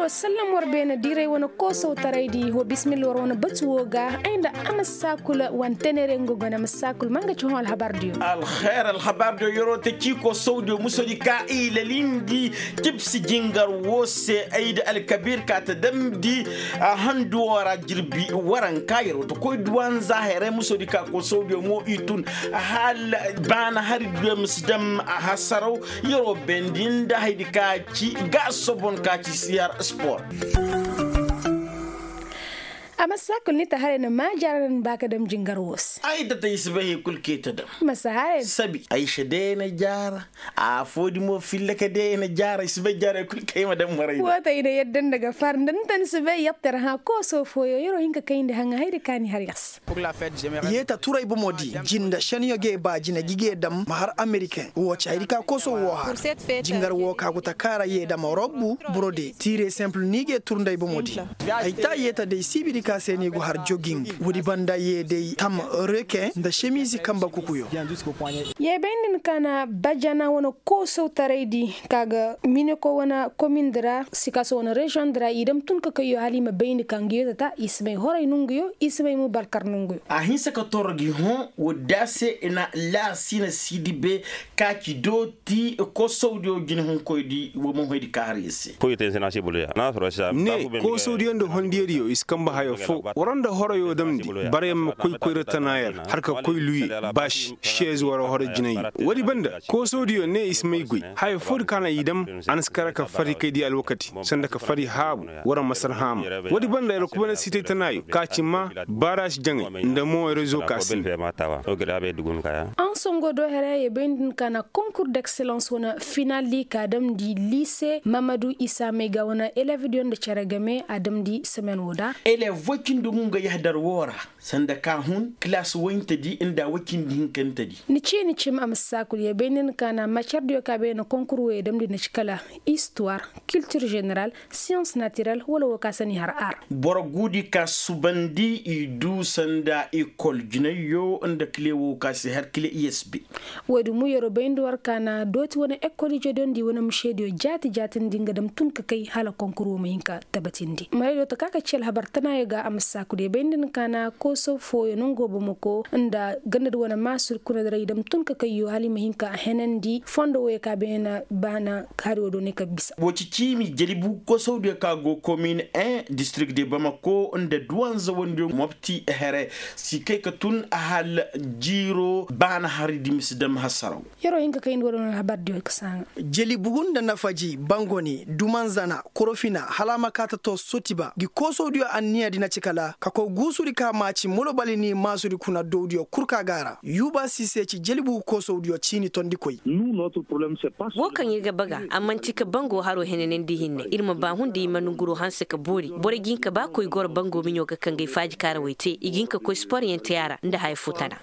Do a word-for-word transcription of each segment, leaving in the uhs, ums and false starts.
Sallam war beene diray wane koosow taraydi wa bisimilla war wane batu woo ga ay nda a ma saakula wane tenere nga gone a ma saakula ma nga ci hõ alhabar diyo. Alhabar diyo yeroo ta cii koosow diyo musodi ka i lalindi cibsi jingar woo se ay nda alkabir ka ta damndi a handu woo ra jirbi waranka yeroo ta koy duwanza hayray musodi ka koosow diyo mo i tun hala baana hari diyo ma si dam a hasaraw. Yeroo bendi nda haydi ka ci ga sobon ka ci siyar spor. A ma saakul ni ta haray na maa jaara na ni ba ka dam jingar woo se. Ay da ta i si bay hay kul kay ta dam. Ma si haray. Sabi ay se day na jaara. A foodi mo filla ka day na jaara i si bay jaara hay kul kay ma dam maray. Woo ta i na yadda nda ga far nda ni ta ni si bay yattar hã kooso fooyo yeroo hin ka kayndi haŋa haydi ka ni har yas. Yeeta turay bomo di jinda šenyo gee ba jina gi gee dam ma har ameriken woo ci haydi ka kosow woo har. Jingar woo ka go ta kaara yee dama robbu borode tiire senpul ni gee tur nda ay bomo di. Ay taa yeeta day siibidi ka se ni go har joging woodi banda yee day tam reken nda šemiizi kanba kukuyo. Yee bay nda ni ka na bajana wane koosowtaray di ka ga mineko wane komin di ra sikaso wane reziyoŋ di ra i dam tun ka kayyo hala i ma bayndi ka nga yee ta ta i si may horay nonguyo i si may mo balkar nonguyo. A hinsa ka toro gi hõ woodi da se i na laasina siidi be ka ci dooti kosowdiyo jinehunkoydi wa ma hoydi ka har ya se. Ne kosowdiyo nda hondiyadiyo i si kanba hayo foo wara nda horoyo damndi bara ya ma koy koyra tana ya ra har ka koy luye baasi šeez wara horo jinay. Woodi banda kosowdiyo ne i si may goy haya foodi ka na i dam a na si kara ka fari kay di alwakati sanda ka fari haabu wara masar haama. Woodi banda yar kubana sitay tanaayo ka ci maa baaraasi jaŋay nda mo rezo ka si. Ansongo do hera ye bay nda ni ka na konkur d'excellence wane final di ka damndi liise mamadu isa may ga wane elev diyo nda cere game a damndi semen wo da. Elev woy cindi ngu nga yahdar wo ra sanda ka hun kilaas woyntedi nda woy cindi hinkantedi. Ni ciini cim a ma saakul ye bay nda ni ka na macer diyo ka bay na konkur wo ye damndi na ci kala istuwar kiltir ženeral siyans natirel wala wo ka sani har ar. Boro guudi ka subandi i du sanda ekol jinayyo nda kile wo ka si har kile i s b. Woodi mu yeroo bay nda war ka na dooti wane ekol ijediyo nda i wane mušediyo jaati jaatindi nga dam tun ka kay hala konkur wo ma hin ka tabatindi maraydiyo ta ka ka ci alhabar tanaayo ga a ma saakul ye bay nda ni ka na kooso fooyo nongo bomoko nda gandadi wane maasur kuna diray dam tun ka kayyo hala i ma hin ka henandi fondo woyo ka bay na baana hari wo do ne ka bisa. Wo ci ciimi jalibu kosowdiyo ka go komin en distirik de bamako nda duwanza wandiyo mopti here si kay ka tun a hal jiiro baana hari di ma si dam hasaraw. Yeroo hin ka kayndi wo do ne alhabar diyo ka saaŋa. Jalibu nda nafaji bangoni dumanzana korofina hala a ma kaa ta too sotiba ngi kosowdiyo anniya di na ci kala ka koy guusudi ka maaci molobali ni maasudi kuna dowdiyo kul ka ga a ra. Yuuba siise ci jalibu kosowdiyo ciini tondikoy. Woo kaŋ ir ga baga a man'ti ka bango haroo henanandi hinne ir ma baa hunda i ma nonguroo hanse ka boori borey ga hin ka baa koy goro bango miɲoo ga kaŋ gay faaji kaarawey te i ga hin ka koy sporyaŋ te a ra nda haya foo tana.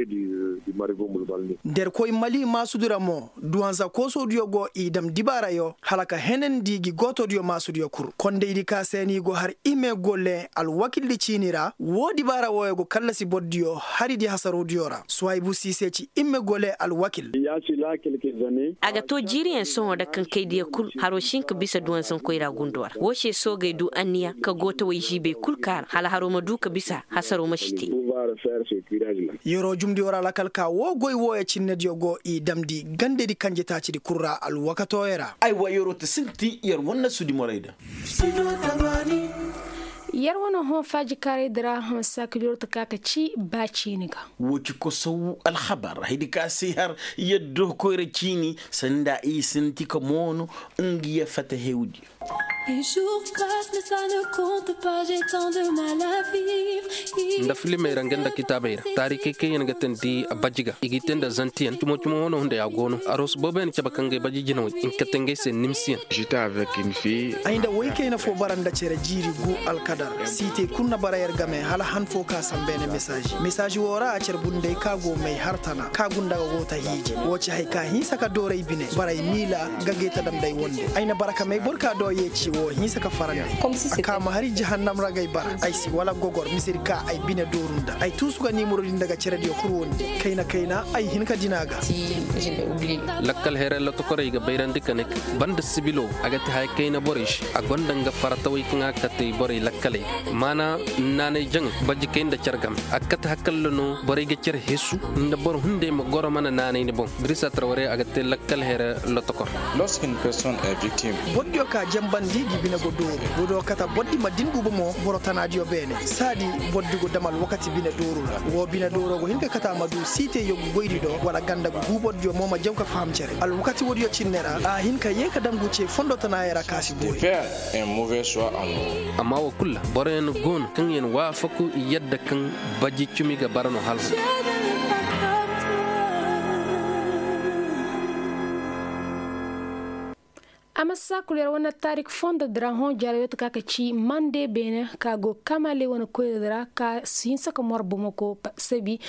Nda ir koy mali maasudu ra mo duwanza koosodiyo go i dam dibaarayo hala ka henandi gi gootodiyo maasudiyo kul kondaydi ka se ni go har ime gole alwakildi ciini ra woo dibaara wooyo go kallasi bordiyo haridi hasarodiyo ra suwaybu siise ci ime gole alwakil. A ga too jiiriyaŋ sohõ nda kaŋ kaydiya kul haroo si hin ka bisa duwanzankoy ra gundo ra woo se soogey du anniya ka gootawey ziibey kul kaara hala haroo ma du ka bisa hasaroo ma si te. Yeroo jumdiyo ra lakal ka woo goy wooyo cinnediyo go i damndi gandedi kanjetaacidi kul ra alwakatooyo ra. Aywa yeroo ta sinti yer wane sudi morayda. Yer wane hõ faajikaaraydi ra hõ saakil yeroo ta ka ka ci ba ciini ga. Woo ci kosow alhabar haydi ka se har yaddo koyra ciini sanda i sinti ka moono. Nga ya fata hewdi. Nda filimey ra nga nda kitaabey ra taarikey kaŋ yaŋ ga tandi bajji ga i g'i te nda zantiyaŋ cumo-cumo wane hunday a go no aroos booboyaŋ cabe kaŋ ga ay bajji jinawey nga kate ngey se nimsiyaŋ. Ay nda woy kayna fo bara nda cere jiiri gu alkadar siitey kul na bara yer game hala han fo ka sambeene mesaazi mesaazi woo ra a cere bunday ka go may har tana ka gunda ga go ta hiiji woo ci hay ka hinsa ka dooray bine baray miila ga gay ta damday wonde ay na bara ka may boro ka dooyey ci. Woo hinsa ka farandi a ka ma hari jahannam ra ga ay bara ay si wala gogor misedi ka ay bine dooru nda ay tuusu ga niimurodi nda ga cerediyo kul wondi kayna kayna ay hin ka dina ga. Lakkal heeray lotokorey ga bayrandi ka ne, banda sibiloo a ga te haya kayna borey se a gonda nga faratawey kaŋ a ga kate borey lakkaley ga maana naanay jaŋay bajjikey nda care game a ga kate hakalla no borey ga care hesu nda boro hunday ma goro mana naanay ni boŋ. Dirisa tarwarey a ga te lakkal heeray lotokor. Lorskin person est victim. Bordiyo ka janbandi ngi bine go dooru godo kata bordi ma din guba mo boro tanaadiyo beene saadi bordi go dam alwakati bine dooru ra woo bine dooro go hin ka kata ma du siite yoggu goydi do wala ganda go guu bordiyo mo ma jaw ka faham cere alwakati woodiyo cinne ra a hin ka yee ka dam gu ce fondo tanaayey ra ka si goy. Amma woo kul ra boroyaŋ go no kaŋ yaŋ waafaku i yadda kaŋ baji cumi ga bara no hala. A ma si saakul yer wane taarik fondo dira hõ jare yoo ta ka ka ci mande beene ka go kamale wane koyra dira ka si hinsa ka mor bomoko sabi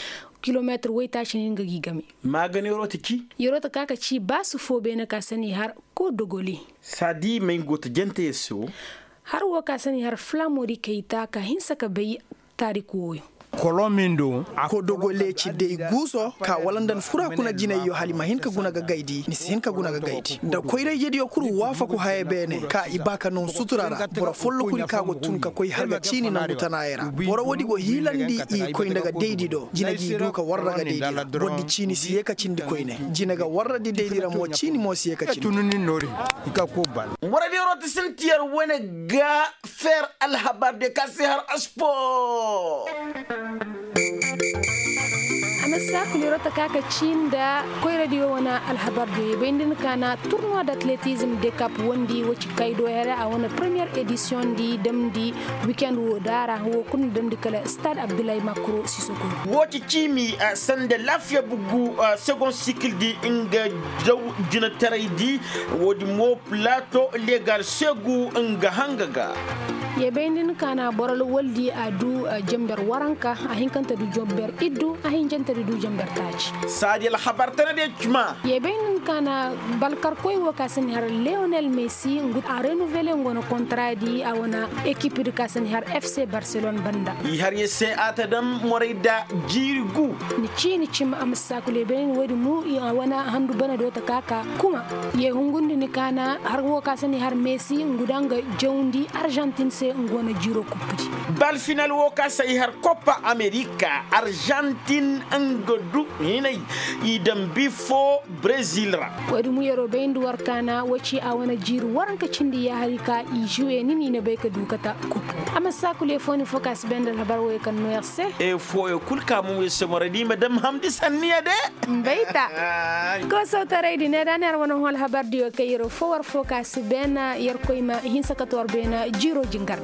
kilomeetir woytaaci ni nga gi game. Maaga ne yeroo ta ci yeroo ta ka ka ci baasu foo beene ka sani har kodogoli. Saadi may nga go ta jante yer se wo. Har woo ka sani har flamodi kayta ka hinsa ka bay taarik wooyo. Kolomindo. Kodogole ci day guuso ka wala nda ni fura kuna jinayyo hala i ma hin ka guna ga gaydi ni si hin ka guna ga gaydi nda koyra-ijediyo kul waafaku haya beene ka i ba ka naŋ sutura ra boro folloku di ka go tun ka koy har ga ciini nangu tanaayey ra. Boro woodi go hiilandi i koy nda ga daydi do jine ga i du ka warra ga daydi ra bordi ciini si yee ka cindi koyne jine ga warra di daydi ra mo ciini mo si yee ka cindi. Borodiyo roti sinti yer wane ga feer alhabar de ka si har aspor. A na saakul yeroo ta ka ka cii nda koyradiyo wane alhabar diyo ye bay nda ni ka na turnuwa da atletizm dekap wondi wo ci kay do here a wane premiyer edisiyoŋ di damndi wikend woo daara woo kul na damndi kala stade abdullahi makro sisoko. Woo ci ciimi sanda laafiya bugu segon sikil di nga jaw jinataray di. Woodi mo plato legal segu nga hanga ga. Ye bay nda ni ka na boro lawal di a du jamber waranka a hinkante du jamber iddu a hinjante du jamber taaci. Saadi alhabar tana de cuma. Ye bay nda ni ka na balkarkoy wo ka si ni har leonel messi ngu a renuvele ngu wane kontra di a wane ekip di ka si ni har fc barcelone banda. I har ye se a ta dam moray da jiiri gu. Ni ciini cim a ma si saakul ye bay nda ni woodi mu a wane handu bana do ta ka ka kuma. Ye hungundi ni ka na har wo ka si ni har messi ngu da nga jawndi arjantin se ngu wane jiiro kuppudi. Bal final wo ka si ay har kopa amerika arjantin nga du hinay i dambi fo brezil ra. Woodi mu yeroo bay nda war ka na wo ci a wane jiiri waranka cindi ya hari ka i juwe ni ni na bay ka du kata kupu. A ma si saakul ye fo ni fo ka si bay nda alhabar wo ye kaŋ no yer se. Fooyo kul ka mo yer se mora di ma dam hamdi sanniya de. Mbayta. Koosawtaray di ne da ni har wane hõ alhabar diyo kay yer fo war fo ka si beena yer koy ma hinsa ka to war beena jiiro jingardi.